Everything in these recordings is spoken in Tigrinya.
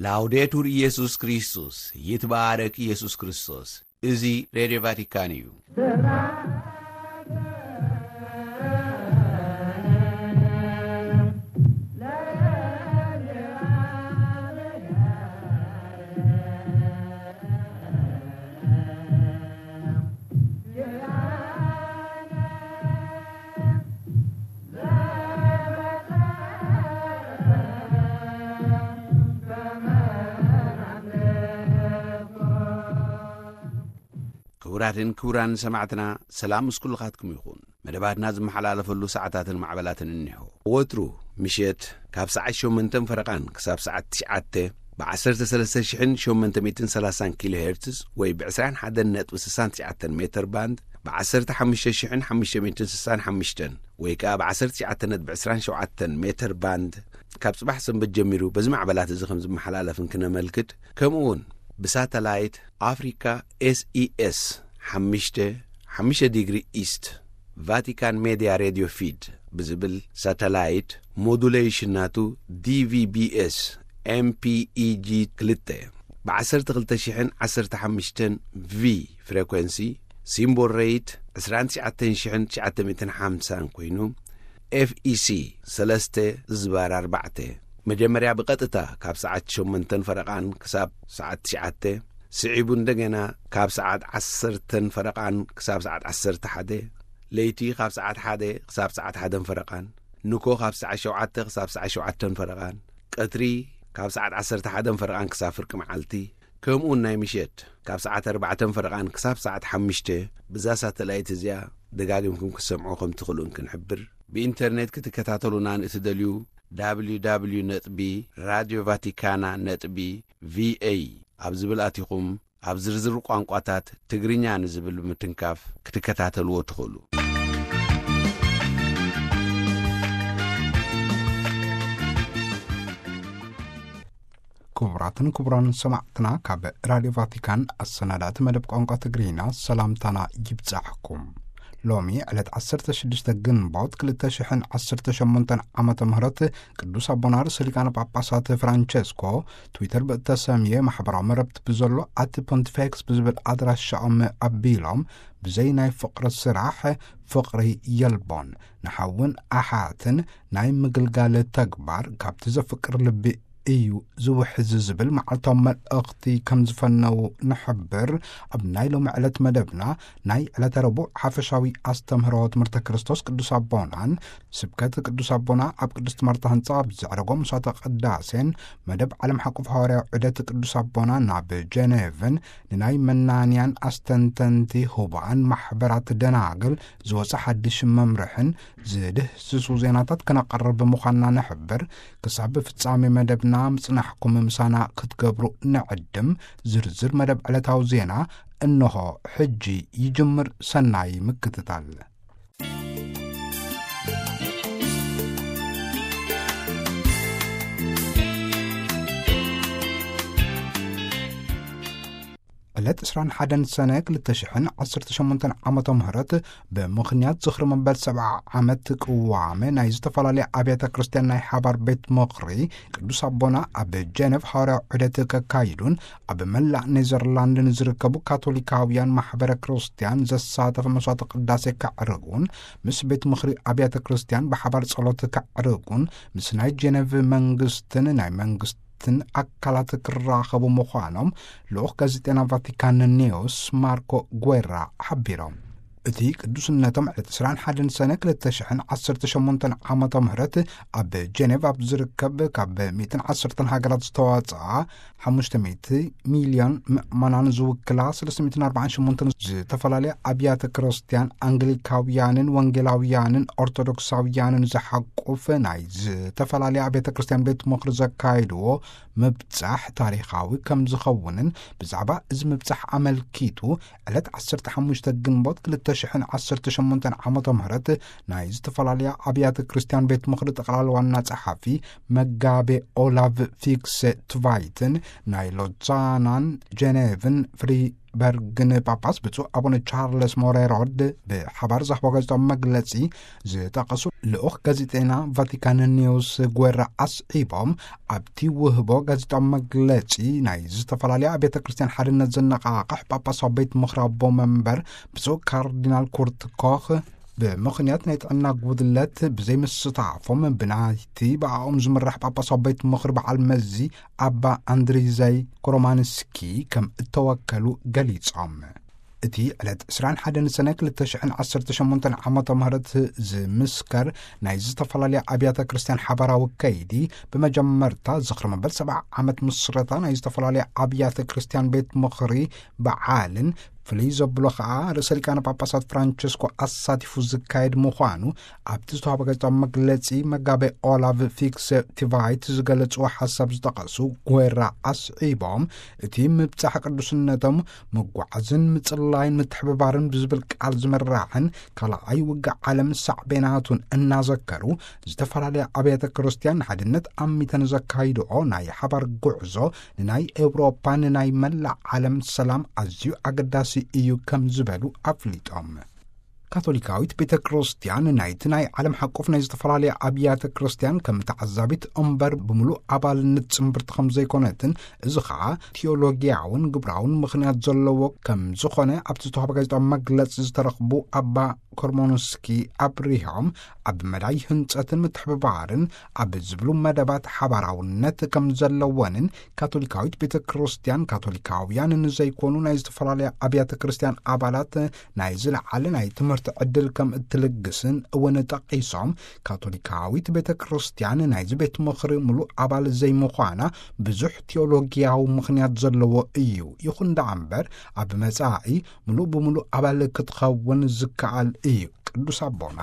ላውዴቱር ኢየሱስ ክርስቶስ፣ ይትባረክ ኢየሱስ ክርስቶስ። እዚ ሬድዮ ቫቲካን እዩ። ክቡራትን ክቡራን ሰማዕትና፣ ሰላም ምስ ኩልኻትኩም ይኹን። መደባትና ዝመሓላለፈሉ ሰዓታትን ማዕበላትን እኒሆ። ወትሩ ምሸት ካብ ሰዓት ሸሞንተን ፈረቓን ክሳብ ሰዓት ትሽዓተ ብ ዓሰርተ ሰለስተ ሽሕን ሸሞንተ ሚእትን ሰላሳን ኪሎ ሄርትዝ ወይ ብ ዕስራን ሓደን ነጥቢ ስሳን ትሽዓተን ሜተር ባንድ፣ ብ ዓሰርተ ሓሙሽተ ሽሕን ሓሙሽተ ሚእትን ስሳን ሓሙሽተን ወይ ከኣ ብ ዓሰርተ ትሽዓተ ነጥቢ ዕስራን ሸውዓተን ሜተር ባንድ፣ ካብ ጽባሕ ሰንበት ጀሚሩ በዚ ማዕበላት እዚ ከም ዝመሓላለፍን ክነመልክት፣ ከምኡ እውን ብሳተላይት ኣፍሪካ ኤስኢኤስ ሓሙሽተ፣ ሓሙሽተ ዲግሪ ኢስት፣ ቫቲካን ሜድያ ሬድዮ ፊድ ብዝብል ሳተላይት፣ ሞዱሌሽን ናቱ ዲቪቢኤስ ኤምፒኢጂ ክልተ፣ ብ ዓሰርተ ክልተ ሽሕን ዓሰርተ ሓሙሽተን ቪ ፍሬኮንሲ፣ ሲምቦል ሬት ዕስራን ትሽዓተን ሽሕን ትሽዓተ ሚእትን ሓምሳን ኮይኑ፣ ኤፍኢሲ ሰለስተ ዝባር ኣርባዕተ፣ መጀመርያ ብቐጥታ ካብ ሰዓት ሸሞንተን ፈረቓን ክሳብ ሰዓት ትሽዓተ፣ ስዒቡ እንደገና ካብ ሰዓት ዓሰርተን ፈረቓን ክሳብ ሰዓት ዓሰርተ ሓደ፣ ለይቲ ካብ ሰዓት ሓደ ክሳብ ሰዓት ሓደን ፈረቓን፣ ንኮ ካብ ሰዓት ሸውዓተ ክሳብ ሰዓት ሸውዓተን ፈረቓን፣ ቀትሪ ካብ ሰዓት ዓሰርተ ሓደን ፈረቓን ክሳብ ፍርቂ መዓልቲ፣ ከምኡውን ናይ ምሸት ካብ ሰዓት ኣርባዕተን ፈረቓን ክሳብ ሰዓት ሓሙሽተ፣ ብዛ ሳተላይት እዚኣ ደጋጊምኩም ክትሰምዑ ከም ትኽእሉን ክንሕብር። ብኢንተርኔት ክትከታተሉና ንእትደልዩ፣ www ነጥቢ ራድዮ ቫቲካና ነጥቢ ቪኤ ኣብ ዝብል ኣቲኹም፣ ኣብ ዝርዝር ቋንቋታት ትግርኛ ንዝብል ብምትንካፍ ክትከታተልዎ ትኽእሉ። ክቡራትን ክቡራን ሰማዕትና፣ ካብ ራድዮ ቫቲካን ኣሰናዳእቲ መደብ ቋንቋ ትግርኛ ሰላምታና ይብጻሕኩም። ሎሚ ዕለት ዓሰርተ ሽዱሽተ ግንቦት ክልተ ሽሕን ዓሰርተ ሸሞንተን ዓመተ ምህረት፣ ቅዱስ ኣቦና ርእሰ ሊቃነ ጳጳሳት ፍራንቸስኮ ትዊተር ብእተሰምየ ማሕበራዊ መረብቲ ብዘሎ ኣቲ ፖንቲፌክስ ብዝብል ኣድራሻኦም ኣቢሎም፣ ብዘይ ናይ ፍቕሪ ስራሕ ፍቕሪ የልቦን፣ ንሓውን ኣሓትን ናይ ምግልጋል ተግባር ካብቲ ዘፍቅር ልቢ እዩ ዝውሕዝ ዝብል መዓልታዊ መልእኽቲ ከም ዝፈነዉ ንሕብር። ኣብ ናይ ሎሚ ዕለት መደብና ናይ ዕለተ ረቡዕ ሓፈሻዊ ኣስተምህሮ ትምህርተ ክርስቶስ ቅዱስ ኣቦናን ስብከት ቅዱስ ኣቦና ኣብ ቅድስት ማርታ ህንጻ ኣብ ዘዕረጎ ምሳተ ቅዳሴን መደብ ዓለም ሓቁፍ ሃዋርያዊ ዑደት ቅዱስ ኣቦና ናብ ጀኔቭን ንናይ መናንያን ኣስተንተንቲ ህቡኣን ማሕበራት ደናግል ዝወጸ ሓድሽ መምርሕን ዝድህስሱ ዜናታት ክነቐርብ ምዃንና ንሕብር። ክሳብ ፍጻሜ መደብና ምጽናሕኩም ምሳና ክትገብሩ ንዕድም። ዝርዝር መደብ ዕለታዊ ዜና እንሆ ሕጂ ይጅምር። ሰናይ ምክትታል። ዕለት ዕስራን ሓደን ሰነ ክልተ ሽሕን ዓሰርተ ሸሞንተን ዓመተ ምህረት፣ ብምኽንያት ዝኽሪ መበል ሰብዓ ዓመት ቅዋመ ናይ ዝተፈላለያ ኣብያተ ክርስቲያን ናይ ሓባር ቤት ምኽሪ ቅዱስ ኣቦና ኣብ ጀነቭ ሃዋርያዊ ዑደት ከካይዱን ኣብ መላእ ኔዘርላንድ ንዝርከቡ ካቶሊካውያን ማሕበረ ክርስቲያን ዘሳተፈ መስዋዕተ ቅዳሴ ከዕርጉን ምስ ቤት ምኽሪ ኣብያተ ክርስቲያን ብሓባር ጸሎት ከዕርጉን ምስ ናይ ጀነቭ መንግስትን ናይ መንግስትን ኣካላት ክራኸቡ ምዃኖም ልኡኽ ጋዜጠና ቫቲካን ኒውስ ማርኮ ጉዌራ ሓቢሮም። እቲ ቅዱስነቶም ዕለት ዕስራን ሓደን ሰነ ክልተ ሽሕን ዓሰርተ ሸሞንተን ዓመተ ምህረት ኣብ ጀኔቭ ኣብ ዝርከብ ካብ ሚእትን ዓሰርተን ሃገራት ዝተዋጽኣ ሓሙሽተ ሚእቲ ሚልዮን ምእመናን ዝውክላ ሰለስተ ሚእትን ኣርባዓን ሸሞንተን ዝተፈላለያ ኣብያተ ክርስቲያን ኣንግሊካውያንን ወንጌላውያንን ኦርቶዶክሳውያንን ዝሓቁፍ ናይ ዝተፈላለያ ኣብያተ ክርስቲያን ቤት ምኽሪ ዘካየድዎ ምብጻሕ ታሪኻዊ ከም ዝኸውንን ብዛዕባ እዚ ምብጻሕ ኣመልኪቱ ዕለት ዓሰርተ ሓሙሽተ ግንቦት ክልተ ሽሕን ዓሰርተ ሸሞንተን ዓመተ ምህረት ናይ ዝተፈላለያ ኣብያተ ክርስቲያን ቤት ምኽሪ ጠቕላላ ዋና ጸሓፊ መጋቤ ኦላቭ ፊክሰ ትቫይትን ናይ ሎዛናን ጀኔቭን ፍሪ ፍሪበርግን ጳጳስ ብፁዕ ኣቡነ ቻርለስ ሞሬሮድ ብሓባር ዝሃቦ ጋዜጣዊ መግለጺ ዝጠቐሱ ልኡኽ ጋዜጠና ቫቲካን ኒውስ ጓራ ኣስዒቦም፣ ኣብቲ ውህቦ ጋዜጣዊ መግለጺ ናይ ዝተፈላለያ ኣብያተ ክርስቲያን ሓድነት ዘነቓቕሕ ጳጳሳዊ ቤት ምኽሪ ኣቦ መንበር ብፁዕ ካርዲናል ኩርት ኮኽ ብምኽንያት ናይ ጥዕና ጉድለት ብዘይምስታፎም ብናይቲ ብኣኦም ዝምራሕ ጳጳሳዊ ቤት ምኽሪ በዓል መዚ ኣባ ኣንድሪዘይ ኮሮማንስኪ ከም እተወከሉ ገሊጾም። እቲ ዕለት ዕስራን ሓደን ሰነ ክልተ ሽሕን ዓሰርተ ሸሞንተን ዓመተ ምህረት ዝምስከር ናይ ዝተፈላለያ ኣብያተ ክርስቲያን ሓባራዊ ከይዲ፣ ብመጀመርታ ዝኽሪ መበል ሰብዓ ዓመት ምስረታ ናይ ዝተፈላለያ ኣብያተ ክርስቲያን ቤት ምኽሪ በዓልን፣ ፍልይ ዘብሎ ኸኣ ርእሰ ሊቃነ ጳጳሳት ፍራንቸስኮ ኣሳቲፉ ዝካየድ ምዃኑ ኣብቲ ዝተዋህበ ጋዜጣዊ መግለጺ መጋቤ ኦላቭ ፊክስ ቲቫይት ዝገለጽዎ ሓሳብ ዝጠቐሱ ጓራ ኣስዒቦም፣ እቲ ምብጻሕ ቅዱስነቶም ምጓዓዝን ምጽላይን ምትሕብባርን ብዝብል ቃል ዝምራሕን ካልኣይ ውግእ ዓለም ሳዕቤናቱን እናዘከሩ፣ ዝተፈላለያ ኣብያተ ክርስቲያን ንሓድነት ኣሚተን ዘካይድኦ ናይ ሓባር ጉዕዞ ንናይ ኤውሮፓ፣ ንናይ መላእ ዓለም ሰላም ኣዝዩ ኣገዳሲ እዩ ከም ዝበሉ ኣፍሊጦም። ካቶሊካዊት ቤተ ክርስቲያን ናይቲ ናይ ዓለም ሓቆፍ ናይ ዝተፈላለያ ኣብያተ ክርስቲያን ከም ተዓዛቢት እምበር ብምሉእ ኣባልነት ጽንብርቲ ከም ዘይኮነትን፣ እዚ ኸኣ ቴዎሎጊያውን ግብራውን ምኽንያት ዘለዎ ከም ዝኾነ ኣብቲ ዝተዋህበ ጋዜጣዊ መግለጺ ዝተረኽቡ ኣባ ኮርሞንስኪ ኣብሪሆም፣ ኣብ መዳይ ህንጸትን ምትሕብባርን ኣብ ዝብሉ መደባት ሓባራውነት ከም ዘለወንን፣ ካቶሊካዊት ቤተ ክርስቲያን ካቶሊካውያን ንዘይኮኑ ናይ ዝተፈላለያ ኣብያተ ክርስቲያን ኣባላት ናይ ዝለዓለ ናይ ትምህርቲ ዕድል ከም እትልግስን እውን ጠቒሶም፣ ካቶሊካዊት ቤተ ክርስቲያን ናይዚ ቤት ምኽሪ ምሉእ ኣባል ዘይምዃና ብዙሕ ቴዎሎጊያዊ ምኽንያት ዘለዎ እዩ። ይኹን ደኣ እምበር፣ ኣብ መጻኢ ምሉእ ብምሉእ ኣባል ክትኸውን ዝከኣል እዩ። ቅዱስ ኣቦና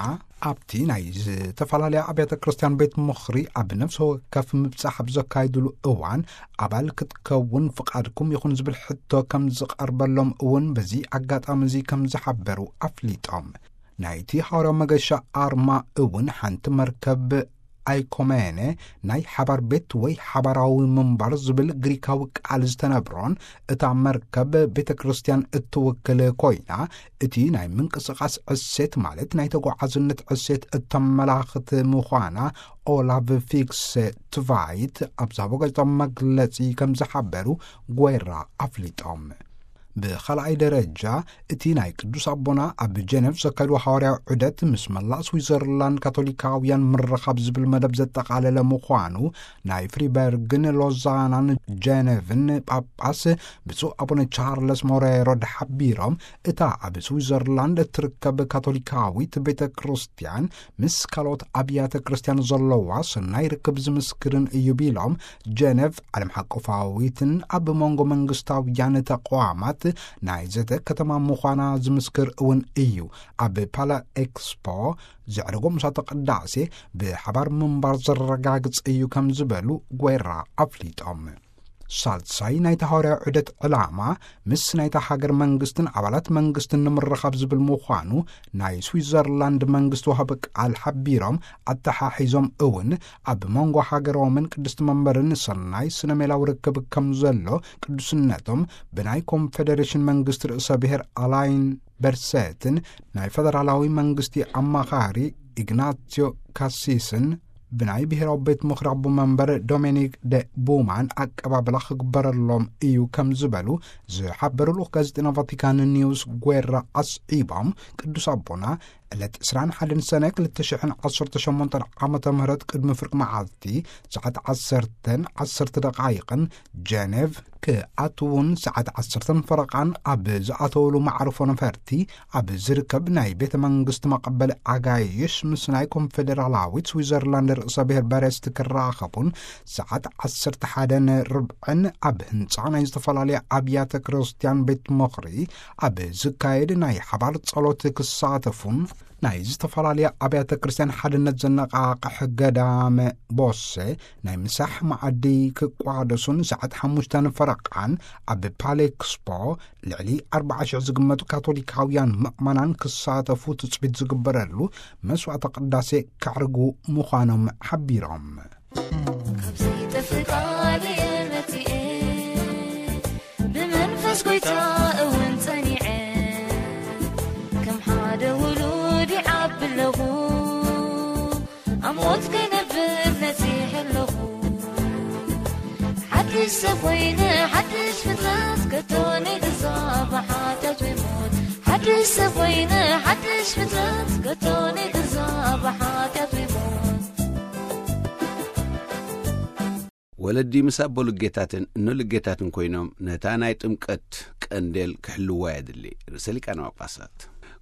ኣብቲ ናይ ዝተፈላለያ ኣብያተ ክርስቲያን ቤት ምኽሪ ኣብ ነፍሲ ወከፍ ምብጻሕ ኣብ ዘካይድሉ እዋን፣ ኣባል ክትከውን ፍቓድኩም ይኹን ዝብል ሕቶ ከም ዝቐርበሎም እውን በዚ ኣጋጣሚ እዚ ከም ዝሓበሩ ኣፍሊጦም። ናይቲ ሓዋርያዊ መገሻ ኣርማ እውን ሓንቲ መርከብ ኣይኮመነ ናይ ሓባር ቤት ወይ ሓባራዊ ምንባር ዝብል ግሪካዊ ቃል ዝተነብሮን፣ እታ መርከብ ቤተ ክርስቲያን እትውክል ኮይና፣ እቲ ናይ ምንቅስቓስ ዕሴት ማለት ናይ ተጓዓዝነት ዕሴት እተመላኽት ምዃና ኦላቭ ፊክስ ትቫይት ኣብ ዝሃቦ ጋዜጣዊ መግለጺ ከም ዝሓበሩ ጓራ ኣፍሊጦም። ብኻልኣይ ደረጃ፣ እቲ ናይ ቅዱስ ኣቦና ኣብ ጀነቭ ዘካየድዎ ሓዋርያዊ ዑደት ምስ መላእ ስዊዘርላንድ ካቶሊካውያን ምርኻብ ዝብል መደብ ዘጠቓለለ ምዃኑ ናይ ፍሪበርግን ሎዛናን ጀነቭን ጳጳስ ብፁዕ ኣቡነ ቻርለስ ሞሬሮ ሓቢሮም፣ እታ ኣብ ስዊዘርላንድ እትርከብ ካቶሊካዊት ቤተ ክርስቲያን ምስ ካልኦት ኣብያተ ክርስቲያን ዘለዋ ሰናይ ርክብ ዝምስክርን እዩ ቢሎም፣ ጀነቭ ዓለም ሓቆፋዊትን ኣብ መንጎ መንግስታውያን ተቋማት ናይ ዘተ ከተማ ምዃና ዝምስክር እውን እዩ። ኣብ ፓላ ኤክስፖ ዘዕረጎ ምሳተ ቅዳሴ ብሓባር ምንባር ዘረጋግጽ እዩ ከም ዝበሉ ጓራ ኣፍሊጦም። ሳልሳይ ናይታ ሃዋርያዊ ዑደት ዕላማ ምስ ናይታ ሃገር መንግስትን ኣባላት መንግስትን ንምርኻብ ዝብል ምዃኑ ናይ ስዊዘርላንድ መንግስቲ ወሃቢ ቃል ሓቢሮም፣ ኣተሓሒዞም እውን ኣብ መንጎ ሃገሮምን ቅድስቲ መንበርን ሰናይ ስነ ሜላዊ ርክብ ከም ዘሎ ቅዱስነቶም ብናይ ኮንፌደሬሽን መንግስቲ ርእሰ ብሔር ኣላይን በርሰትን ናይ ፈደራላዊ መንግስቲ ኣማኻሪ ኢግናሲዮ ካሲስን ብናይ ብሔራዊ ቤት ምኽሪ ኣቦ መንበር ዶሚኒክ ደ ቡማን ኣቀባብላ ክግበረሎም እዩ ከም ዝበሉ ዝሓበሩ ልኡኽ ጋዜጠና ቫቲካን ኒውስ ጓራ ኣስዒቦም፣ ቅዱስ ኣቦና ዕለት ዕስራን ሓደን ሰነ ክልተ ሽሕን ዓሰርተ ሸሞንተን ዓመተ ምህረት ቅድሚ ፍርቂ መዓልቲ ሰዓት ዓሰርተን ዓሰርተ ደቓይቕን ጀኔቭ ክኣትውን ሰዓት ዓሰርተን ፈረቓን ኣብ ዝኣተውሉ መዕርፎ ነፈርቲ ኣብ ዝርከብ ናይ ቤተ መንግስቲ መቐበሊ ኣጋይሽ ምስ ናይ ኮንፌደራላዊት ስዊዘርላንድ ርእሰ ብሔር በሬስት ክራኸቡን ሰዓት ዓሰርተ ሓደን ርብዕን ኣብ ህንጻ ናይ ዝተፈላለያ ኣብያተ ክርስቲያን ቤት ምኽሪ ኣብ ዝካየድ ናይ ሓባር ጸሎት ክሳተፉን ናይ ዝተፈላለያ ኣብያተ ክርስቲያን ሓድነት ዘነቓቕሕ ገዳመ ቦሴ ናይ ምሳሕ መኣዲ ክቋደሱን ሰዓት ሓሙሽተን ፈረቓን ኣብ ፓሌክስፖ ልዕሊ ኣርባዓ ሽሕ ዝግመቱ ካቶሊካውያን ምእመናን ክሳተፉ ትጽቢት ዝግበረሉ መስዋዕተ ቅዳሴ ከዕርጉ ምዃኖም ሓቢሮም። ካብዚ ጥፍእ ቃል እየ መጺኤ፣ ብመንፈስ ጐይታ እውን ሰብ ኮይነ ሓድሽ ፍጥረት፣ ከቶ ንግዛ ብሓጢኣት ወይ ሞት። ሓድሽ ሰብ ኮይነ ሓድሽ ፍጥረት፣ ከቶ ንግዛ ብሓጢኣት ወይ ሞት። ወለዲ ምስ ኣቦ ልጌታትን እኖ ልጌታትን ኮይኖም ነታ ናይ ጥምቀት ቀንዴል ክሕልዋ የድሊ። ርእሰ ሊቃነ ጳጳሳት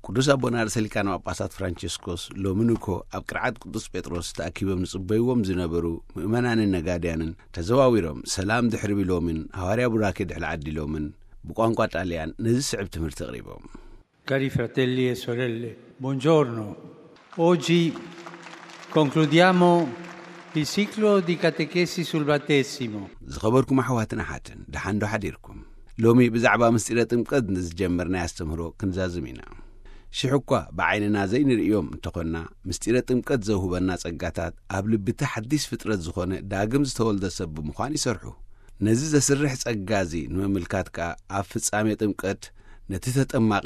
ቅዱስ ኣቦና ርእሰ ሊቃነ ጳጳሳት ፍራንቸስኮስ ሎሚ ንኮ ኣብ ቅርዓት ቅዱስ ጴጥሮስ ተኣኪቦም ዝጽበይዎም ዝነበሩ ምእመናንን ነጋድያንን ተዘዋዊሮም ሰላም ድሕሪ ቢሎምን ሃዋርያ ቡራኬ ድሕሪ ዓዲሎምን ብቋንቋ ጣልያን ነዚ ስዕብ ትምህርቲ ኣቕሪቦም። Cari fratelli e sorelle, buongiorno. Oggi concludiamo il ciclo di catechesi sul battesimo. ዝኸበርኩም ኣሕዋትን ኣሓትን፣ ደሓን ዶ ሓዲርኩም? ሎሚ ብዛዕባ ምስጢረ ጥምቀት ንዝጀመርናይ ኣስተምህሮ ክንዛዝም ኢና። ሽሕ እኳ ብዓይንና ዘይንርእዮም እንተኾንና፣ ምስጢረ ጥምቀት ዘውህበና ጸጋታት ኣብ ልቢ እቲ ሓዲስ ፍጥረት ዝኾነ ዳግም ዝተወልደ ሰብ ብምዃን ይሰርሑ። ነዚ ዘስርሕ ጸጋ እዚ ንምምልካት ከኣ ኣብ ፍጻሜ ጥምቀት ነቲ ተጠማቒ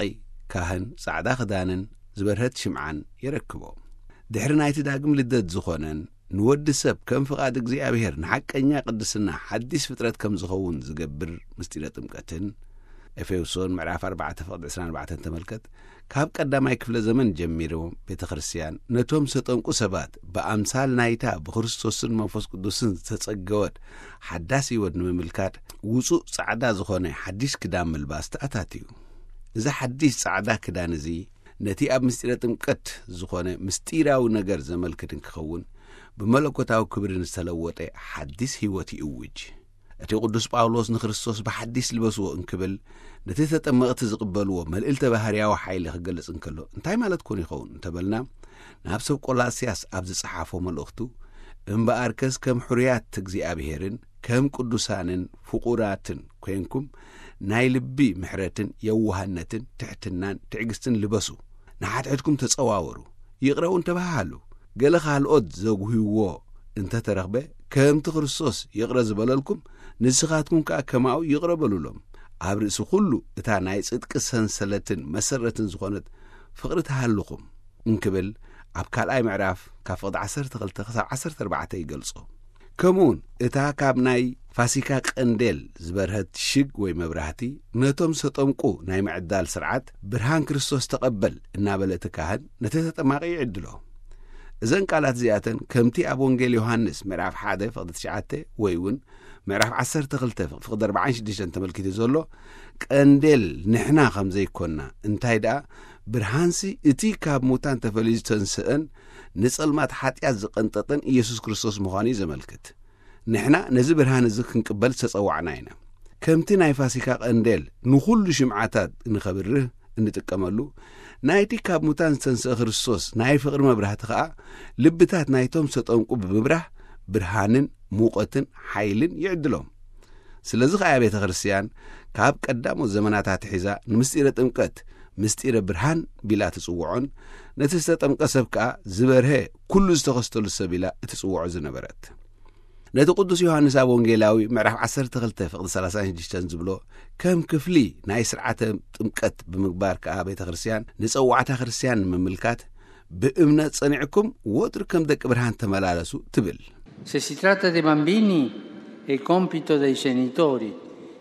ካህን ጻዕዳ ክዳንን ዝበርሀት ሽምዓን የረክቦ። ድሕሪ ናይቲ ዳግም ልደት ዝኾነን ንወዲ ሰብ ከም ፍቓድ እግዚኣብሔር ንሓቀኛ ቅድስና ሓዲስ ፍጥረት ከም ዝኸውን ዝገብር ምስጢረ ጥምቀትን፣ ኤፌሶን ምዕራፍ ኣርባዕተ ፍቕዲ ዕስራን ኣርባዕተን ተመልከት። ካብ ቀዳማይ ክፍለ ዘመን ጀሚሩ ቤተ ክርስቲያን ነቶም ዝተጠምቁ ሰባት ብኣምሳል ናይታ ብክርስቶስን መንፈስ ቅዱስን ዝተጸገወት ሓዳስ ህይወት ንምምልካት ውጹእ ጻዕዳ ዝኾነ ሓዲስ ክዳን ምልባስ ተኣታትዩ። እዚ ሓዲስ ጻዕዳ ክዳን እዚ ነቲ ኣብ ምስጢረ ጥምቀት ዝኾነ ምስጢራዊ ነገር ዘመልክት እንክኸውን ብመለኮታዊ ክብርን ዝተለወጠ ሓዲስ ህይወት ይእውጅ። እቲ ቅዱስ ጳውሎስ ንክርስቶስ ብሓዲስ ልበስዎ እንክብል ነቲ ተጠመቕቲ ዝቕበልዎ መልእልተ ባህርያዊ ሓይሊ ክገልጽ እንከሎ እንታይ ማለት ኮን ይኸውን እንተበልና፣ ናብ ሰብ ቆላስያስ ኣብ ዝጸሓፎ መልእኽቱ፣ እምበኣርከስ ከም ሕሩያት እግዚኣብሔርን ከም ቅዱሳንን ፍቑራትን ኮንኩም ናይ ልቢ ምሕረትን የዋህነትን ትሕትናን ትዕግስትን ልበሱ። ንሓድሕድኩም ተጸዋወሩ፣ ይቕረ እውን ተባሃሃሉ። ገለ ካልኦት ዘጉህይዎ እንተተረኽበ፣ ከምቲ ክርስቶስ ይቕረ ዝበለልኩም ንስኻትኩም ከኣ ከማኡ ይቕረ በሉሎም። ኣብ ርእሲ ኩሉ እታ ናይ ጽድቂ ሰንሰለትን መሰረትን ዝኾነት ፍቕሪ ተሃልኹም እንክብል ኣብ ካልኣይ ምዕራፍ ካብ ፍቕዲ ዓሰርተ ክልተ ክሳብ ዓሰርተ ኣርባዕተ ይገልጾ። ከምኡውን እታ ካብ ናይ ፋሲካ ቀንዴል ዝበርሀት ሽግ ወይ መብራህቲ ነቶም ዝተጠምቁ ናይ ምዕዳል ስርዓት ብርሃን ክርስቶስ ተቐበል እናበለ እቲ ካህን ነቲ ተጠማቂ ይዕድሎ። እዘን ቃላት እዚኣተን ከምቲ ኣብ ወንጌል ዮሃንስ ምዕራፍ ሓደ ፍቕዲ ትሽዓተ ወይ እውን ምዕራፍ ዓሰርተ ክልተ ፍቕዲ ኣርባዓን ሽዱሽተን ተመልኪቱ ዘሎ ቀንዴል ንሕና ከም ዘይኮንና እንታይ ደኣ ብርሃንሲ እቲ ካብ ሙታን ተፈልዩ ዝተንስአን ንጸልማት ሓጢኣት ዝቐንጠጠን ኢየሱስ ክርስቶስ ምዃኑ እዩ ዘመልክት። ንሕና ነዚ ብርሃን እዚ ክንቅበል ዝተጸዋዕና ኢና። ከምቲ ናይ ፋሲካ ቀንዴል ንኹሉ ሽምዓታት ንኸብርህ እንጥቀመሉ፣ ናይቲ ካብ ሙታን ዝተንስአ ክርስቶስ ናይ ፍቕሪ መብራህቲ ኸኣ ልብታት ናይቶም ዝተጠምቁ ብምብራህ ብርሃንን ሙቐትን ሓይልን ይዕድሎም። ስለዚ ኸኣ ቤተ ክርስቲያን ካብ ቀዳሞት ዘመናት ኣትሒዛ ንምስጢረ ጥምቀት ምስጢረ ብርሃን ቢላ ትጽውዖን ነቲ ዝተጠምቀ ሰብ ከኣ ዝበርሀ ኩሉ ዝተኸስተሉ ሰብ ኢላ እትጽውዖ ዝነበረት። ነቲ ቅዱስ ዮሃንስ ኣብ ወንጌላዊ ምዕራፍ ዓሰርተ ክልተ ፍቕዲ ሰላሳን ሽዱሽተን ዝብሎ ከም ክፍሊ ናይ ስርዓተ ጥምቀት ብምግባር ከኣ ቤተ ክርስቲያን ንጸዋዕታ ክርስቲያን ንምምልካት ብእምነት ጸኒዕኩም ወትሩ ከም ደቂ ብርሃን ተመላለሱ ትብል። Se si tratta dei bambini, è compito dei genitori,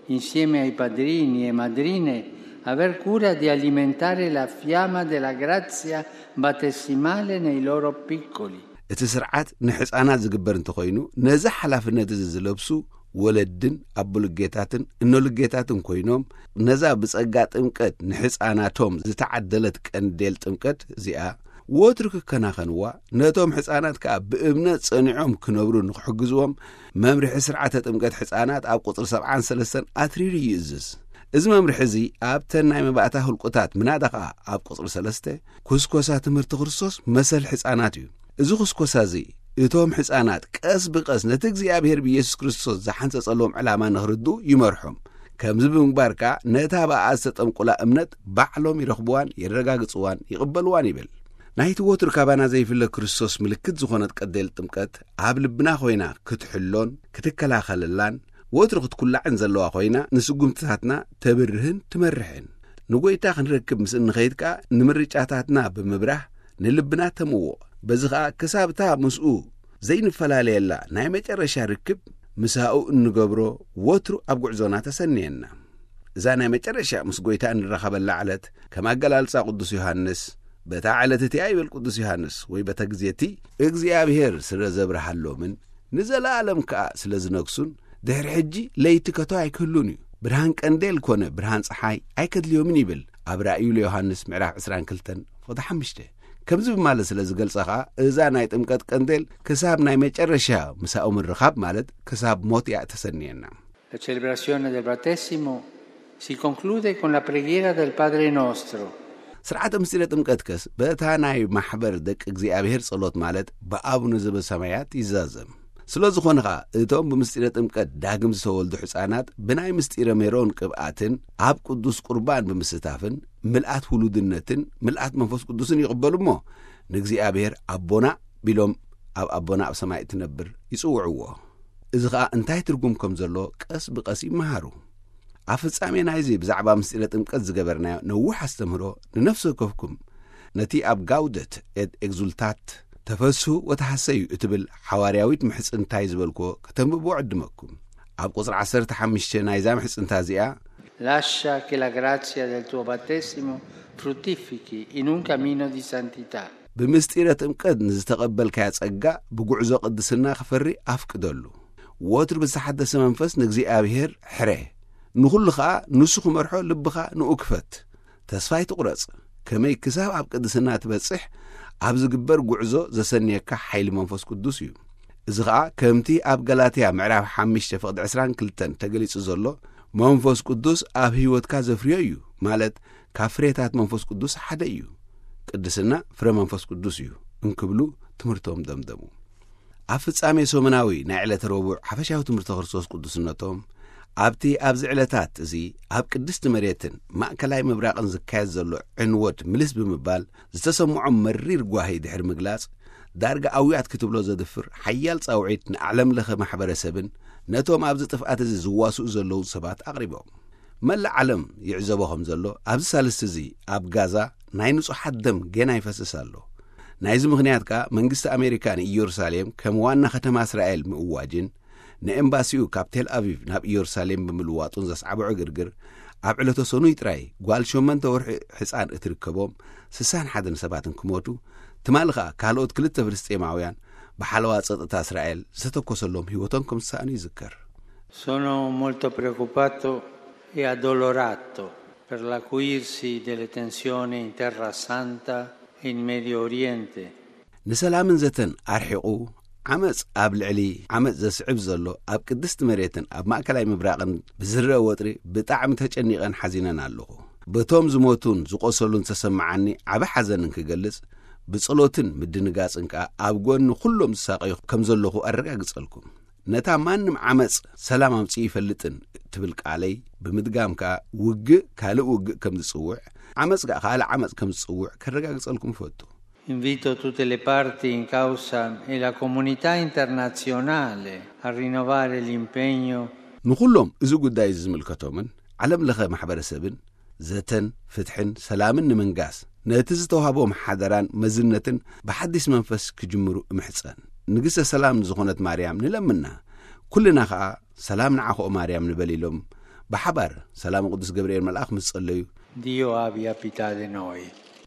insieme ai padrini e madrine, aver cura di alimentare la fiamma della grazia battesimale nei loro piccoli. እቲ ስርዓት ንሕፃናት ዝግበር እንተኾይኑ ነዚ ሓላፍነት እዚ ዝለብሱ ወለድን ኣቦልጌታትን እኖልጌታትን ኮይኖም ነዛ ብጸጋ ጥምቀት ንሕፃናቶም ዝተዓደለት ቀንዴል ጥምቀት እዚኣ ወትሩ ክከናኸንዋ ነቶም ሕፃናት ከኣ ብእምነት ጸኒዖም ክነብሩ ንክሕግዝዎም መምርሒ ስርዓተ ጥምቀት ሕፃናት ኣብ ቁፅሪ ሰብዓን ሰለስተን ኣትሪሩ ይእዝዝ። እዚ መምርሒ እዚ ኣብተን ናይ መባእታ ህልቁታት ምናዳ ከኣ ኣብ ቁፅሪ ሰለስተ ኩስኮሳ ትምህርቲ ክርስቶስ መሰል ሕፃናት እዩ። እዚ ኩስኮሳ እዚ እቶም ሕፃናት ቀስ ብቀስ ነቲ እግዚኣብሔር ብኢየሱስ ክርስቶስ ዝሓንጸጸሎም ዕላማ ንኽርድኡ ይመርሖም። ከምዚ ብምግባር ከኣ ነታ ብኣ ዝተጠምቁላ እምነት ባዕሎም ይረኽብዋን የረጋግጽዋን ይቕበልዋን ይብል። ናይቲ ወትሩ ካባና ዘይፍለ ክርስቶስ ምልክት ዝኾነት ቀንዴል ጥምቀት ኣብ ልብና ኮይና ክትሕሎን ክትከላኸለላን ወትሩ ክትኩላዕን ዘለዋ ኮይና ንስጉምትታትና ተብርህን ትመርሕን። ንጎይታ ክንረክብ ምስ እንኸይድ ከኣ ንምርጫታትና ብምብራህ ንልብና ተምውቕ። በዚ ኸኣ ክሳብ እታ ምስኡ ዘይንፈላለየላ ናይ መጨረሻ ርክብ ምሳኡ እንገብሮ ወትሩ ኣብ ጉዕዞና ተሰንየና። እዛ ናይ መጨረሻ ምስ ጎይታ እንራኸበላ ዕለት፣ ከም ኣገላልጻ ቅዱስ ዮሃንስ፣ በታ ዕለት እቲኣ ይብል ቅዱስ ዮሃንስ፣ ወይ በታ ግዜ እቲ እግዚኣብሔር ስለ ዘብርሃሎምን ንዘለኣለም ከኣ ስለ ዝነግሱን፣ ድሕሪ ሕጂ ለይቲ ከቶ ኣይክህሉን እዩ። ብርሃን ቀንዴል ኮነ ብርሃን ጸሓይ ኣይከድልዮምን ይብል ኣብ ራእዩ ለዮሃንስ ምዕራፍ ዕስራን ክልተን ፍቕዲ ሓሙሽተ። ከምዚ ብማለት ስለ ዝገልጸ ኸኣ፣ እዛ ናይ ጥምቀት ቀንዴል ክሳብ ናይ መጨረሻ ምሳኡ ምርኻብ፣ ማለት ክሳብ ሞት እያ እተሰንየና። La celebrazione del battesimo si conclude con la preghiera del Padre Nostro. ስርዓተ ምስጢረ ጥምቀትከስ በታ ናይ ማሕበር ደቂ እግዚኣብሔር ጸሎት፣ ማለት ብኣቡነ ዘበሰማያት ይዛዘም። ስለ ዝኾነ ኸኣ፣ እቶም ብምስጢረ ጥምቀት ዳግም ዝተወልዱ ሕፃናት ብናይ ምስጢረ ሜሮን ቅብኣትን ኣብ ቅዱስ ቁርባን ብምስታፍን ምልኣት ውሉድነትን ምልኣት መንፈስ ቅዱስን ይቕበሉ እሞ፣ ንእግዚኣብሔር ኣቦና ቢሎም ኣብ ኣቦና ኣብ ሰማይ እትነብር ይጽውዕዎ። እዚ ኸኣ እንታይ ትርጉም ከም ዘሎ ቀስ ብቐስ ይመሃሩ። ኣብ ፍጻሜ ናይዚ ብዛዕባ ምስጢረ ጥምቀት ዝገበርናዮ ነዊሕ ኣስተምህሮ ንነፍሲ ወከፍኩም ነቲ ኣብ ጋውደት ኤት ኤግዙልታት፣ ተፈስሁ ወተሃሰዩ እትብል ሓዋርያዊት ምሕጽንታይ ዝበልክዎ ከተንብብዎ ዕድመኩም። ኣብ ቁጽሪ ዓሰርተ ሓሙሽተ ናይዛ ምሕጽንታ እዚኣ፣ Lascia che la grazia del tuo battesimo fruttifichi in un cammino di santità. ብምስጢረ ጥምቀት ንዝተቐበልካዮ ጸጋ ብጉዕዞ ቅድስና ክፈሪ ኣፍቅደሉ። ወትሩ ብዝተሓደሰ መንፈስ ንእግዚኣብሔር ሕረ። ንኹሉ ኸኣ ንሱ ክመርሖ ልብኻ ንኡ ክፈት። ተስፋ ኣይትቑረጽ። ከመይ ክሳብ ኣብ ቅድስና ትበጽሕ ኣብ ዝግበር ጉዕዞ ዘሰንየካ ሓይሊ መንፈስ ቅዱስ እዩ። እዚ ኸኣ ከምቲ ኣብ ገላትያ ምዕራፍ ሓሙሽተ ፍቕዲ ዕስራን ክልተን ተገሊጹ ዘሎ፣ መንፈስ ቅዱስ ኣብ ህይወትካ ዘፍርዮ እዩ፣ ማለት ካብ ፍሬታት መንፈስ ቅዱስ ሓደ እዩ። ቅድስና ፍረ መንፈስ ቅዱስ እዩ እንክብሉ ትምህርቶም ደምደሙ። ኣብ ፍጻሜ ሰሙናዊ ናይ ዕለተ ረቡዕ ሓፈሻዊ ትምህርተ ክርስቶስ ቅዱስነቶም፣ ኣብቲ ኣብዚ ዕለታት እዚ ኣብ ቅድስቲ መሬትን ማእከላይ ምብራቕን ዝካየድ ዘሎ ዕንወት ምልስ ብምባል ዝተሰምዖም መሪር ጓሂ ድሕሪ ምግላጽ፣ ዳርጋ ኣውያት ክትብሎ ዘድፍር ሓያል ጻውዒት ንዓለም ለኸ ማሕበረሰብን ነቶም ኣብዚ ጥፍኣት እዚ ዝዋስኡ ዘለዉ ሰባት ኣቕሪቦም። መላእ ዓለም ይዕዘቦ ከም ዘሎ፣ ኣብዚ ሳልስቲ እዚ ኣብ ጋዛ ናይ ንጹሓት ደም ጌና ይፈስስ ኣሎ። ናይዚ ምኽንያት ከኣ መንግስቲ ኣሜሪካ ንኢየሩሳሌም ከም ዋና ከተማ እስራኤል ምእዋጅን ንኤምባሲኡ ካብ ቴል ኣቪቭ ናብ ኢየሩሳሌም ብምልዋጡን ዘስዓቦ ዕግርግር፣ ኣብ ዕለተ ሰኑይ ጥራይ ጓል ሸመንተ ወርሒ ሕፃን እትርከቦም ስሳን ሓደን ሰባትን ክሞቱ፣ ትማሊ ኸኣ ካልኦት ክልተ ፍልስጤማውያን ብሓለዋ ጸጥታ እስራኤል ዝተተኮሰሎም ህይወቶም ከም ዝሰኣኑ ይዝከር። Sono molto preoccupato e addolorato per l'acuirsi delle tensioni in Terra Santa e in Medio Oriente. ንሰላምን ዘተን ኣርሒቑ ዓመጽ ኣብ ልዕሊ ዓመጽ ዘስዕብ ዘሎ ኣብ ቅድስቲ መሬትን ኣብ ማእከላይ ምብራቕን ብዝረአ ወጥሪ ብጣዕሚ ተጨኒቐን ሓዚነን ኣለኹ። በቶም ዝሞቱን ዝቖሰሉን ዝተሰምዓኒ ዓቢ ሓዘን እንክገልጽ፣ ብጸሎትን ምድንጋጽን ከኣ ኣብ ጎኒ ኩሎም ዝሳቐዩ ከም ዘለኹ ኣረጋግጸልኩም። ነታ ማንም ዓመጽ ሰላም ኣምጺኡ ይፈልጥን ትብል ቃለይ ብምድጋም ከኣ፣ ውግእ ካልእ ውግእ ከም ዝጽውዕ፣ ዓመጽ ከኣ ካልእ ዓመጽ ከም ዝጽውዕ ከረጋግጸልኩም እፈቱ። Invito tutte le parti in causa e la comunità internazionale a rinnovare l'impegno. ንኹሎም እዚ ጉዳይ እዚ ዝምልከቶምን ዓለም ለኸ ማሕበረሰብን፣ ዘተን ፍትሕን ሰላምን ንምንጋስ፣ ነቲ ዝተዋህቦም ሓደራን መዝነትን ብሓዲስ መንፈስ ክጅምሩ እምሕጸን። ንግስተ ሰላም ዝኾነት ማርያም ንለምና። ኩልና ኸኣ ሰላም ንዓኹ ማርያም ንበል ኢሎም ብሓባር ሰላም ቅዱስ ገብርኤል መልኣኽ ምስ ጸለዩ፣ Dio abbia pietà di noi.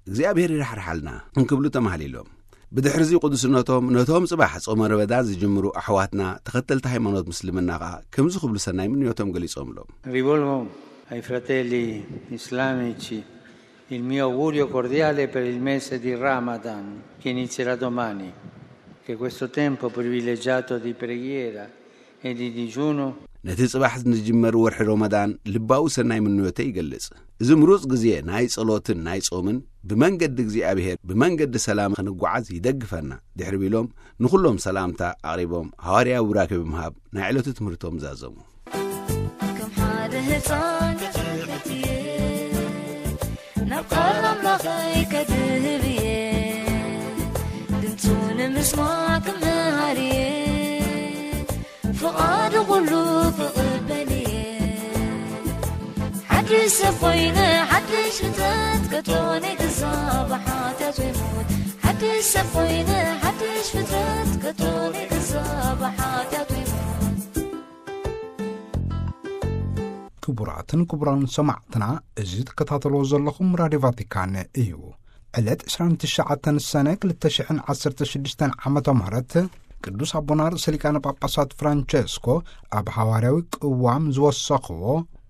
እግዚኣብሔር ይራሕርሓልና እንክብሉ ተማህሊሎም። ብድሕርዚ ቅዱስነቶም ነቶም ጽባሕ ጾመ ረመዳን ዝጅምሩ ኣሕዋትና ተኸተልቲ ሃይማኖት ምስልምና ኸኣ ከምዚ ክብሉ ሰናይ ምንዮቶም ገሊጾምሎም። Rivolgo ai fratelli islamici il mio augurio cordiale per il mese di Ramadan che inizierà domani, che questo tempo privilegiato di preghiera e di digiuno. ነቲ ጽባሕ ንጅመር ወርሒ ሮመዳን ልባዊ ሰናይ ምንዮተይ ይገልጽ። እዚ ምሩጽ ግዜ ናይ ጸሎትን ናይ ጾምን ብመንገዲ እግዚኣብሔር ብመንገዲ ሰላም ክንጓዓዝ ይደግፈና ድሕሪ ቢሎም ንኹሎም ሰላምታ ኣቕሪቦም ሃዋርያዊ ቡራኬ ብምሃብ ናይ ዕለቱ ትምህርቶም ዛዘሙ። ከም ሓደ ህፃን ክሕትየ ናብ ቃል ኣምላኸይ ከድህብ እየ ድምፁ ንምስማዕ ክምሃር እየ ፍቓዱ ኩሉ ክቕበል እየ ሓድሽ ሰብ ኮይነ ሓድሽ ፍጥረት ከቶነ ክዛብ ሓጢኣት ይሞት ሓድሽ ሰብ ኮይነ ሓድሽ ፍጥረት ከቶነ ክዛብ ሓጢኣት ይሞት ክቡራትን ክቡራን ሰማዕትና፣ እዚ ትከታተልዎ ዘለኹም ራድዮ ቫቲካን እዩ። ዕለት ዕስራን ትሽዓተን ሰነ ክልተ ሽሕን ዓሰርተ ሽዱሽተን ዓመተ ምህረት፣ ቅዱስ ኣቦና ርእሰ ሊቃነ ጳጳሳት ፍራንቸስኮ ኣብ ሃዋርያዊ ቅዋም ዝወሰኽዎ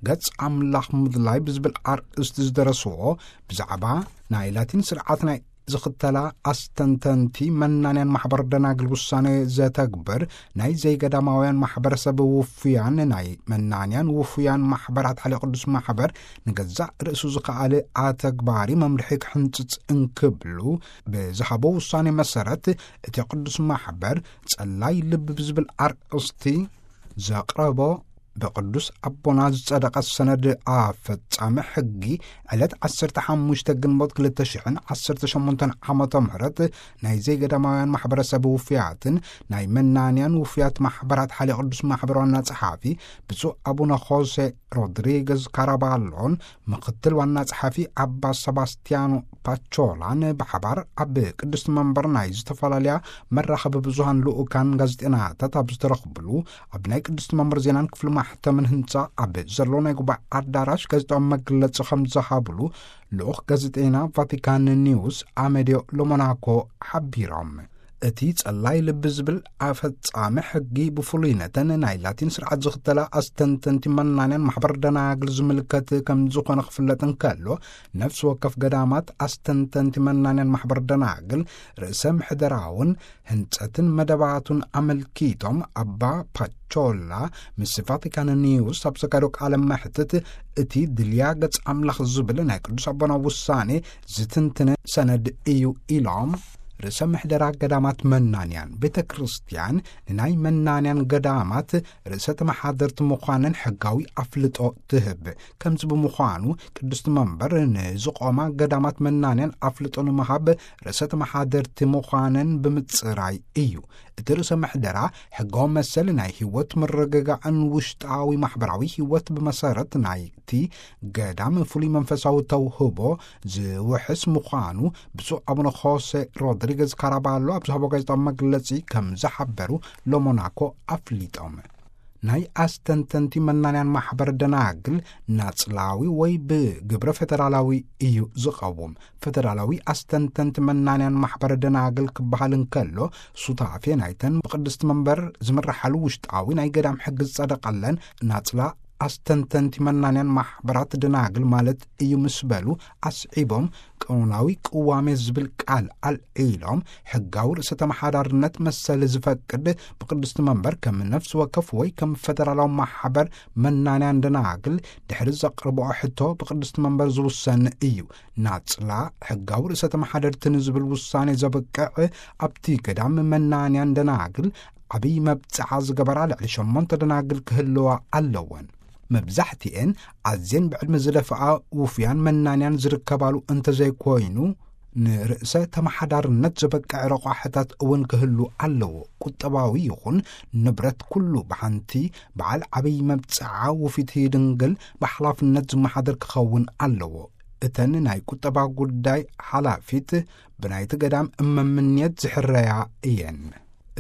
ገጽ ኣምላኽ ምድላይ ብዝብል ኣርእስቲ ዝደረስዎ፣ ብዛዕባ ናይ ላቲን ስርዓት ናይ ዝኽተላ ኣስተንተንቲ መናንያን ማሕበር ደናግል ውሳኔ ዘተግብር ናይ ዘይገዳማውያን ማሕበረሰብ ውፉያን ናይ መናንያን ውፉያን ማሕበራት ሓልዮ ቅዱስ ማሕበር ንገዛእ ርእሱ ዝኸኣለ ኣተግባሪ መምርሒ ክሕንጽጽ እንክብሉ ብዝሃቦ ውሳኔ መሰረት፣ እቲ ቅዱስ ማሕበር ጸላይ ልቢ ብዝብል ኣርእስቲ ዘቕረቦ ብቅዱስ ኣቦና ዝጸደቐ ሰነድ ኣፈጻሚ ሕጊ፣ ዕለት ዓሰርተ ሓሙሽተ ግንቦት ክልተ ሽሕን ዓሰርተ ሸሞንተን ዓመተ ምህረት ናይ ዘይገዳማውያን ማሕበረሰብ ውፉያትን ናይ መናንያን ውፉያት ማሕበራት ሓልዮ ቅዱስ ማሕበር ዋና ጸሓፊ ብፁዕ ኣቡነ ሆሴ ሮድሪገዝ ካራባሎን ምክትል ዋና ጸሓፊ ኣባ ሰባስቲያኖ ፓቾላን ብሓባር ኣብ ቅድስቲ መንበር ናይ ዝተፈላለያ መራኸቢ ብዙሃን ልኡካን ጋዜጠናታት ኣብ ዝተረኽብሉ፣ ኣብ ናይ ቅድስቲ መንበር ዜናን ክፍሊ ማሕተምን ህንጻ ኣብ ዘሎ ናይ ጉባኤ ኣዳራሽ ጋዜጣዊ መግለጺ ከም ዝሃብሉ ልኡኽ ጋዜጠና ቫቲካን ኒውስ ኣሜድዮ ሎሞናኮ ሓቢሮም። እቲ ጸላይ ልቢ ዝብል ኣፈጻሚ ሕጊ ብፍሉይ ነተን ናይ ላቲን ስርዓት ዝኽተላ ኣስተንተንቲ መናንያን ማሕበር ደናግል ዝምልከት ከም ዝኾነ ክፍለጥ እንከሎ፣ ነፍሲ ወከፍ ገዳማት ኣስተንተንቲ መናንያን ማሕበር ደናግል ርእሰ ምሕደራውን ህንጸትን መደባቱን ኣመልኪቶም ኣባ ፓቾላ ምስ ቫቲካን ኒውስ ኣብ ዘካየዶ ቃለ መሕትት፣ እቲ ድልያ ገጽ ኣምላኽ ዝብል ናይ ቅዱስ ኣቦና ውሳኔ ዝትንትነ ሰነድ እዩ ኢሎም። ርእሰ ምሕደራ ገዳማት መናንያን ቤተ ክርስቲያን ንናይ መናንያን ገዳማት ርእሰ ተመሓደርቲ ምዃነን ሕጋዊ ኣፍልጦ ትህብ። ከምዚ ብምዃኑ ቅድስቲ መንበር ንዝቖማ ገዳማት መናንያን ኣፍልጦ ንምሃብ ርእሰ ተመሓደርቲ ምዃነን ብምጽራይ እዩ። እቲ ርእሰ ምሕደራ ሕጋዊ መሰል ናይ ህይወት ምርግጋእን ውሽጣዊ ማሕበራዊ ህይወት ብመሰረት ናይቲ ገዳም ፍሉይ መንፈሳዊ ተውህቦ ዝውሕስ ምዃኑ ብፁዕ ኣቡነ ሆሴ ሮድሪገዝ ካራባሎ ኣብ ዝሃቦ ጋዜጣዊ መግለጺ ከም ዝሓበሩ ሎሞናኮ ኣፍሊጦም። ናይ ኣስተንተንቲ መናንያን ማሕበር ደናግል ናጽላዊ ወይ ብግብረ ፌደራላዊ እዩ ዝቐውም። ፌደራላዊ ኣስተንተንቲ መናንያን ማሕበር ደናግል ክበሃል እንከሎ፣ ሱታፌ ናይተን ብቅድስቲ መንበር ዝምርሓሉ ውሽጣዊ ናይ ገዳም ሕጊ ዝጸደቐለን ናጽላ ኣስተንተንቲ መናንያን ማሕበራት ደናግል ማለት እዩ ምስ በሉ ኣስዒቦም፣ ቀኖናዊ ቅዋሜ ዝብል ቃል ኣልዒሎም፣ ሕጋዊ ርእሰ ተመሓዳርነት መሰል ዝፈቅድ ብቅድስቲ መንበር ከም ነፍሲ ወከፍ ወይ ከም ፈደራላዊ ማሕበር መናንያን ደናግል ድሕሪ ዘቕርብኦ ሕቶ ብቅድስቲ መንበር ዝውሰን እዩ። ናጽላ ሕጋዊ ርእሰ ተመሓደርቲ ንዝብል ውሳኔ ዘብቅዕ ኣብቲ ገዳም መናንያን ደናግል ዓብዪ መብጽዓ ዝገበራ ልዕሊ ሸሞንተ ደናግል ክህልዋ ኣለወን። መብዛሕትኤን ኣዝየን ብዕድመ ዝደፍኣ ውፉያን መናንያን ዝርከባሉ እንተዘይኮይኑ፣ ንርእሰ ተመሓዳርነት ዘበቅዕ ረቋሕታት እውን ክህሉ ኣለዎ። ቁጠባዊ ይኹን ንብረት ኩሉ ብሓንቲ በዓል ዓብዪ መብጽዓ ውፊት ድንግል ብሓላፍነት ዝመሓደር ክኸውን ኣለዎ። እተን ናይ ቁጠባ ጉዳይ ሓላፊት ብናይቲ ገዳም እመምንየት ዝሕረያ እየን።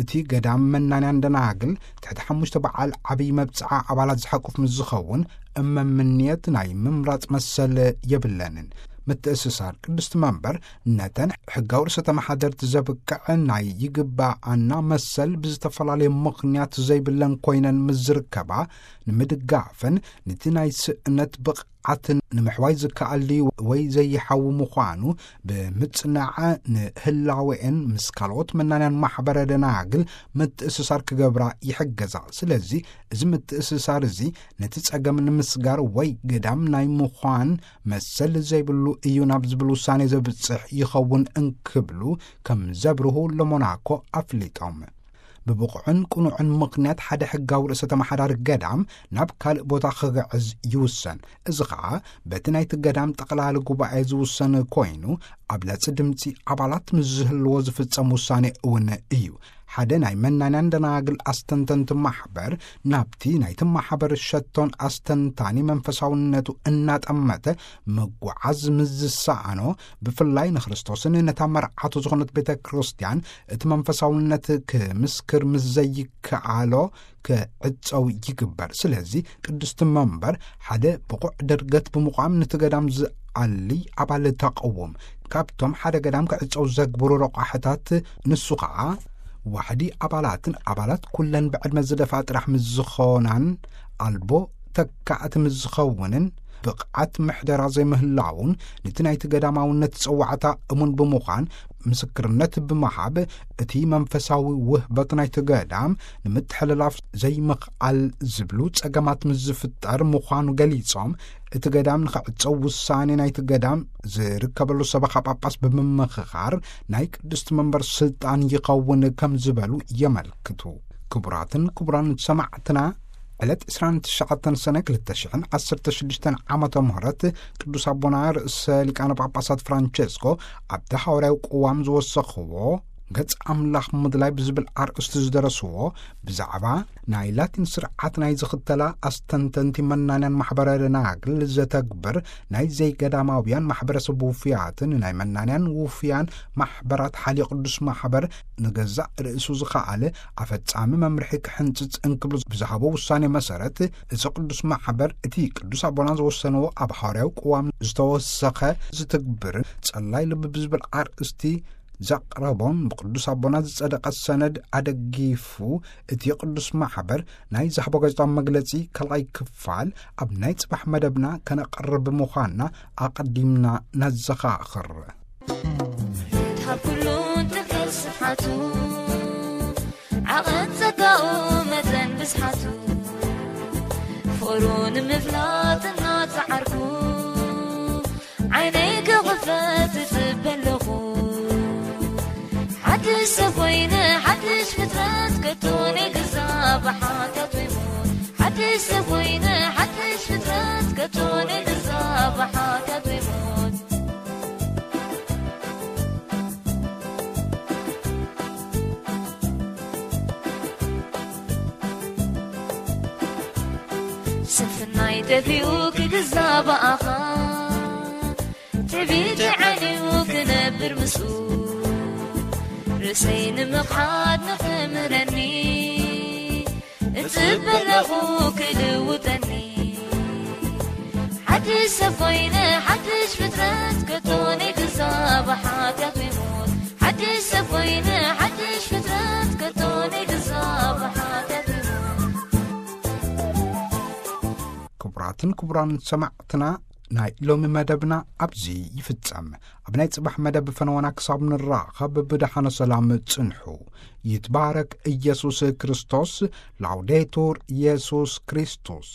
እቲ ገዳም መናንያን ደናግል ትሕቲ ሓሙሽተ በዓል ዓብዪ መብጽዓ ኣባላት ዝሓቁፍ ምስ ዝኸውን፣ እመምንየት ናይ ምምራጽ መሰል የብለንን። ምትእስሳር ቅድስቲ መንበር ነተን ሕጋዊ ርእሰ ተመሓደርቲ ዘብቅዕ ናይ ይግባኣና መሰል ብዝተፈላለየ ምኽንያት ዘይብለን ኮይነን ምስ ዝርከባ፣ ንምድጋፈን ንቲ ናይ ስእነት ብቕዓትን ንምሕዋይ ዝከኣል ድዩ ወይ ዘይሓዊ ምዃኑ ብምጽናዕ፣ ንህላወኤን ምስ ካልኦት መናንያን ማሕበረ ደናግል ምትእስሳር ክገብራ ይሕገዛ። ስለዚ እዚ ምትእስሳር እዚ ነቲ ጸገም ንምስጋር ወይ ገዳም ናይ ምዃን መሰል ዘይብሉ እዩ ናብ ዝብል ውሳኔ ዘብጽሕ ይኸውን እንክብሉ ከም ዘብርሁ ለሞናኮ ኣፍሊጦም። ብብቑዕን ቅኑዕን ምኽንያት ሓደ ሕጋዊ ርእሰ ተመሓዳሪ ገዳም ናብ ካልእ ቦታ ክግዕዝ ይውሰን። እዚ ኸኣ በቲ ናይቲ ገዳም ጠቕላሊ ጉባኤ ዝውሰን ኮይኑ፣ ኣብ ለጽ ድምጺ ኣባላት ምስ ዝህልዎ ዝፍጸም ውሳኔ እውን እዩ። ሓደ ናይ መናንያን ደናግል ኣስተንተንቲ ማሕበር ናብቲ ናይቲ ማሕበር ሸቶን ኣስተንታኒ መንፈሳውነቱ እናጠመተ ምጉዓዝ ምስ ዝሰኣኖ፣ ብፍላይ ንክርስቶስን ነታ መርዓቱ ዝኾነት ቤተ ክርስቲያን እቲ መንፈሳውነት ክምስክር ምስ ዘይከኣሎ ክዕጸው ይግበር። ስለዚ ቅድስቲ መንበር ሓደ ብቑዕ ድርገት ብምቋም ነቲ ገዳም ዝኣሊ ኣባል ተቐውም። ካብቶም ሓደ ገዳም ክዕጸው ዘግብሩ ረቋሕታት ንሱ ኸዓ ዋሕዲ ኣባላትን ኣባላት ኩለን ብዕድመ ዝደፍኣ ጥራሕ ምስ ዝኾናን ኣልቦ ተካእቲ ምስ ዝኸውንን ብቕዓት ምሕደራ ዘይምህላውን ነቲ ናይቲ ገዳማውነት ጸዋዕታ እሙን ብምዃን ምስክርነት ብምሃብ እቲ መንፈሳዊ ውህበት ናይቲ ገዳም ንምትሕልላፍ ዘይምኽኣል ዝብሉ ጸገማት ምስ ዝፍጠር ምዃኑ ገሊጾም፣ እቲ ገዳም ንኽዕጸው ውሳኔ ናይቲ ገዳም ዝርከበሉ ሰበኻ ጳጳስ ብምምኽኻር ናይ ቅድስቲ መንበር ስልጣን ይኸውን ከም ዝበሉ የመልክቱ። ክቡራትን ክቡራን ሰማዕትና፣ ዕለት ዕስራን ትሽዓተን ሰነ ክልተ ሽሕን ዓሰርተ ሽዱሽተን ዓመተ ምህረት ቅዱስ ኣቦና ርእሰ ሊቃነ ጳጳሳት ፍራንቸስኮ ኣብቲ ሃዋርያዊ ቅዋም ዝወሰኽዎ ገጽ ኣምላኽ ምድላይ ብዝብል ኣርእስቲ ዝደረስዎ ብዛዕባ ናይ ላቲን ስርዓት ናይ ዝኽተላ ኣስተንተንቲ መናንያን ማሕበረ ደናግል ዘተግብር ናይ ዘይገዳማውያን ማሕበረሰብ ውፍያትን ናይ መናንያን ውፍያን ማሕበራት ሓልዮ ቅዱስ ማሕበር ንገዛእ ርእሱ ዝኸኣለ ኣፈጻሚ መምርሒ ክሕንጽጽ እንክብሉ ብዝሃቦ ውሳኔ መሰረት፣ እዚ ቅዱስ ማሕበር እቲ ቅዱስ ኣቦና ዝወሰንዎ ኣብ ሃዋርያዊ ቅዋም ዝተወሰኸ ዝትግብርን ጸላይ ልቢ ብዝብል ኣርእስቲ ዘቕረቦን ብቅዱስ ኣቦና ዝጸደቐ ሰነድ ኣደጊፉ፣ እቲ ቅዱስ ማሕበር ናይ ዝሃቦ ጋዜጣዊ መግለጺ ካልኣይ ክፋል ኣብ ናይ ጽባሕ መደብና ከነቕርብ ምዃንና ኣቐዲምና ነዘኻኽር። ካብ ኩሉ ትሕት ስፍሓቱ፣ ዓቐን ጸጋኡ መጠን ብዝሓቱ፣ ፍቕሩ ንምፍላጥ እናጸዓርኩ፣ ዓይነይ ክኽፈት እጽበ ኣለኹ። ሓድሽ ሰብ ኮይነ፣ ሓድሽ ፍጥረት፣ ከቶ ነይግዛእ ብሓጢኣት ወይ ሞት። ሓድሽ ሰብ ኮይነ፣ ሓድሽ ፍጥረት፣ ከቶ ነይግዛእ ብሓጢኣት ወይ ሞት። ስንፍናይ ጠፊኡ ክግዛእ ብኣኻ፣ ትዕቢተይ ዓንዩ ክነብር ምስኡ፣ ርእሰይ ንምኽሓድ ንኽምህረኒ፣ እጽበ ኣለኹ ክልውጠኒ። ሓድሽ ሰብ ኮይነ፣ ሓድሽ ፍጥረት፣ ከቶ ነይግዛእ ብሓጢኣት ወይ ሞት። ሓድሽ ሰብ ኮይነ፣ ሓድሽ ፍጥረት፣ ከቶ ነይግዛእ ብሓጢኣት ወይ ሞት። ክቡራትን ክቡራን ሰማዕትና፣ ናይ ሎሚ መደብና ኣብዚ ይፍጸም። ኣብ ናይ ጽባሕ መደብ ፈነወና ክሳብ ንራኸብ ብደሓነ ሰላም ጽንሑ። ይትባረክ ኢየሱስ ክርስቶስ። ላውዴቱር ኢየሱስ ክርስቶስ።